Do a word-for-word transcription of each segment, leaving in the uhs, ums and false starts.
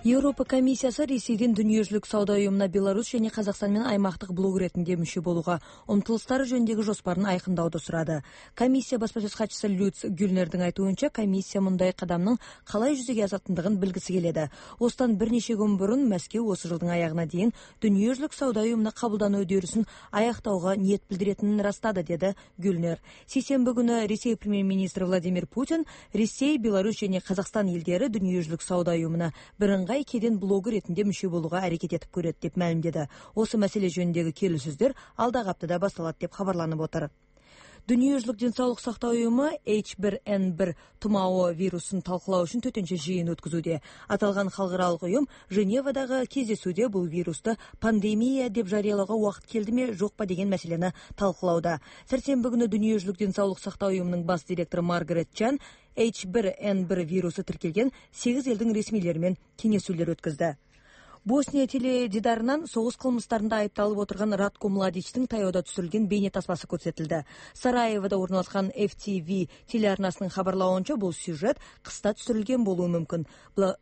Европа комиссиясы Ресейдин Дүниежүзүлүк сауда уюмуна Беларусь және Казакстан менен аймактык блок иретинде мүчө болууга умтулуштары жөнүндөгү жоспарын айкындауду сурады. Комиссия баспасөз катчысы Люц Гюльнердин айтуунча, комиссия мындай кадамдын калай жүзөгө асатындыгын билгиси келеді. Осыдан бир нече күн бурун Мәскеу осы жылдың аягына дейин Дүниежүзүлүк сауда уюмуна кабылдануу үдөрүсүн аяктауга ниет билдиретинин ырастады, деди Гюльнер. Сейсенбі күнү Ресей премьер-министри Владимир Путин Ресей, Беларусь және Казакстан элдери Дүниежүзүлүк сауда уюмуна бирыңгай кеден блогу ретинде мүчө болууга аракет этип көрөт деп маалимдеди. Осы маселе жөнүндөгү келүүсүздөр алдагы аптада башталат деп кабарланып отыр. Дүниежүзүлүк ден соолук сактоо уюму эйч бир эн бир тумоо вирусун талкылоо үчүн төтөнчө жыйын өткүзүүдө. Аталган халкыралык уюм Женевадагы кездесүүдө бул вирусту пандемия деп жарыялоого убакыт келдиме, жокпа деген маселени талкылауда. Сәрсенбі күнү Дүниежүзүлүк ден соолук сактоо уюмунун бас директору Маргарет Чан эйч бир эн бир вирусу тиркелген сегиз элдин ресмилери менен кеңешүүлөр өткөздү. Босния теледидарынан согуш кылмыштарында айыпталып отурган Ратко Младичтин таяуда түшүрүлгөн бейне тасмасы көрсөтүлдү. Сараевода орналашкан эф ти ви телеарнасынын кабарлауынча, бул сюжет кыста түшүрүлгөн болуу мүмкүн.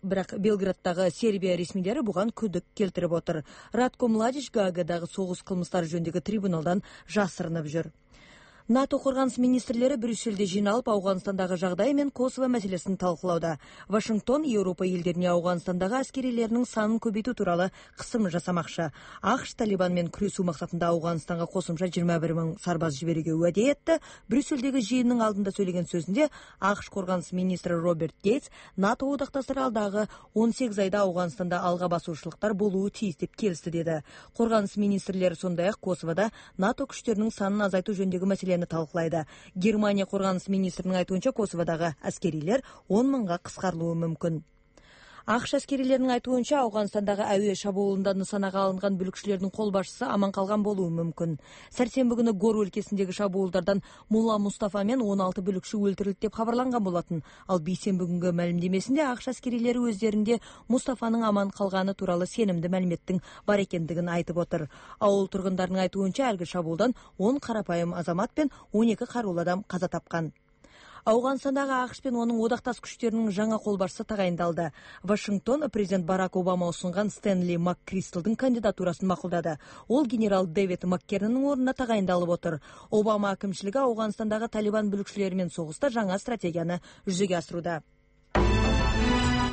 Бирок Белграддагы Сербия ресмилери буга күдүк келтирип отур. Ратко Младич Гаагадагы согуш кылмыштары жөнүндөгү трибуналдан жасырынып жүр. НАТО коргонус министрлери Брюссельде жыйналып, Ауганстандагы жагдай менен Косово маселесин талкылауда. Вашингтон Европа элдерине Ауганстандагы аскерилеринин санын көбөйтүү тууралуу кысым жасамакчы. АКШ Талибан менен күрөшүү максатында Ауганстанга кошумча жыйырма бир миң сарбаз жиберүүгө уаде этти. Брюссельдеги жыйындын алдында сөйлөгөн сөзүндө АКШ коргонус министри Роберт Гейтс НАТО одакташтары алдагы он сегиз айда Ауганстанда алга басуучулуктар болуу тийиз деп келишти, деди. Коргонус министрлери сондай эле Косоводо НАТО күчтөрүнүн санын азайтуу жөнүндөгү маселени талкылайды. Германия коргонус министринин айтуунча, Косоводогу аскерилер он миңга кыскарылуу мүмкүн. АКШ аскерилеринин айтуунча, Ауганстандагы абий шабуулунда нысанага алынган бүлүкчүлөрдүн кол башчысы аман калган болуу мүмкүн. Сәрсенбі күнү Гор өлкесиндеги шабуулдардан Мулла Мустафа менен он алты бүлүкчү өлтүрүлдү деп кабарланган болотун. Ал бейсенбі күнгө маалимдемесинде АКШ аскерилери өздөрүндө Мустафанын аман калганы тууралуу сенимдүү маалиметтин бар экендигин айтып отур. Ауыл тургундарынын айтуунча, алги шабуулдан он карапайым азамат пен он эки каруулуу адам каза тапкан. Ауганстандагы АКШ пен онун одакташ күчтөрүнүн жаңа кол башчысы тагайындалды. Вашингтон президент Барак Обама усунган Стэнли МакКристалдын кандидатурасын макулдады. Ол генерал Дэвид МакКернинин ордуна тагайындалып отур. Обама акимчилиги Ауганстандагы Талибан бүлүкчүлөрү менен согушта жаңа стратегияны жүзөгө асырууда.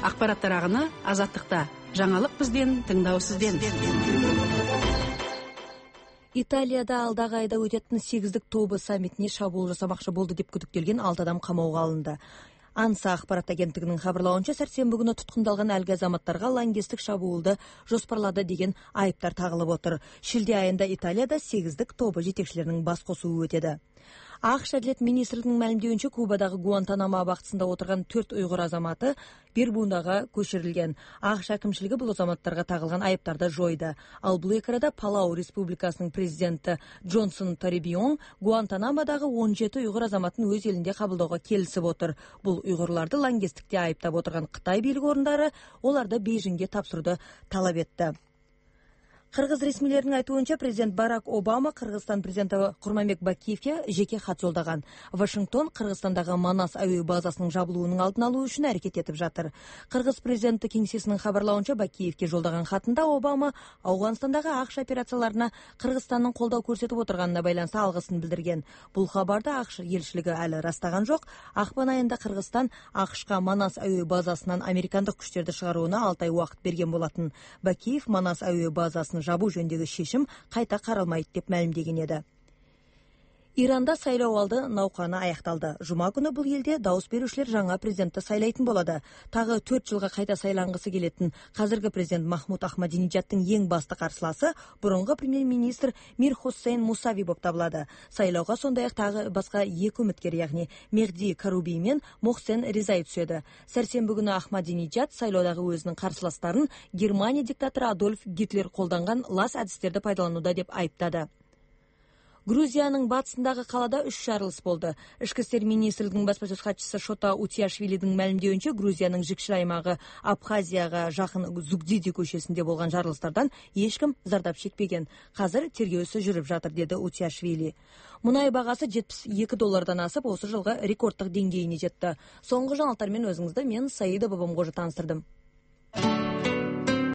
Акпараттар агыны Азаттыкта. Жаңылык бизден, тыңдоо сизден. Италияда алдагы айда өтөтүн сегиздик тобу саммитине шабуул жасамакчы болду деп күдүктөлгөн алты адам камоого алынды. Анса акпарат агенттигинин кабарлауынча, сәрсенбі күнү туткундалган алги азаматтарга лаңкестик шабуулду жоспарлады деген айыптар тагылып отур. Шилде айында Италияда сегиздик тобу жетекчилеринин бас косуу өтөдү. АКШ Адилет министринин маалимдеуинче, Кубадагы Гуантанамо абактысында отурган төрт уйгур азаматы бир бундага көчүрүлгөн. АКШ акимчилиги бул азаматтарга тагылган айыптарды жойду. Ал бул экарада Палау республикасынын президенти Джонсон Торибион Гуантанамодагы он жети уйгур азаматын өз элинде кабылдоого келишип отур. Бул уйгурларды лаңкестикте айыптап отурган Кытай бийлик орундары оларды Бейжиңге тапшырууду талап этти. Кыргыз ресмилеринин айтуунча, президент Барак Обама Кыргызстан президенти Курманбек Бакиевке жеке кат жолдогон. Вашингтон Кыргызстандагы Манас аөө базасынын жабылуунун алдын алуу үчүн аракет этип жатыр. Кыргыз президенти кеңсесинин кабарлауынча, Бакиевке жолдогон катында Обама Ауганстандагы АКШ операцияларына Кыргызстандын колдоо көрсөтүп отурганына байланыштуу алгысын билдирген. Бул кабарды АКШ елчилиги али ырастаган жок. Акпан айында Кыргызстан АКШка Манас аөө базасынан американдык күчтөрдү чыгарууна алты ай убакыт берген болотун. Бакиев Манас аөө базасын жабуу жөнүндөгү шешим кайта каралмайт деп маалимдеген эди. Иранда сайлоо алды науканы аякталды. Жума күнү бул элде дауыс берүүчүлөр жаңа президентти сайлайтын болду. Тагы төрт жылга кайта сайлангысы келетин казыркы президент Махмуд Ахмадинежадтын эң басты каршыласы бурунку премьер-министр Мир Хусейн Мусави болуп табылады. Сайлоого сондай эле тагы башка эки үмүткер, ягни Мехди Каруби менен Мохсен Резай түшөдү. Сәрсенбі күнү Ахмадинежад сайлоодагы өзүнүн каршыластарын Германия диктатору Адольф Гитлер колдонгон лас адистерди пайдаланууда деп айыптады. Грузиянын батысындагы калада үч жарылыш болду. Ички иштер министрлигинин баспасөз катчысы Шота Утиашвилидин маалимдеуинче, Грузиянын Жикшир аймагы Абхазияга жакын Зугдиди көчөсүндө болгон жарылыштардан эч ким зардап чекпеген. Азыр тергөөсү жүрүп жатыр, деди Утиашвили. Мунай багасы жетимиш эки доллардан асып, осы жылга рекордтук деңгейине жетти. Соңку жаңылыктар менен өзүңүздү мен Саида Бабамгожа тааныстырдым.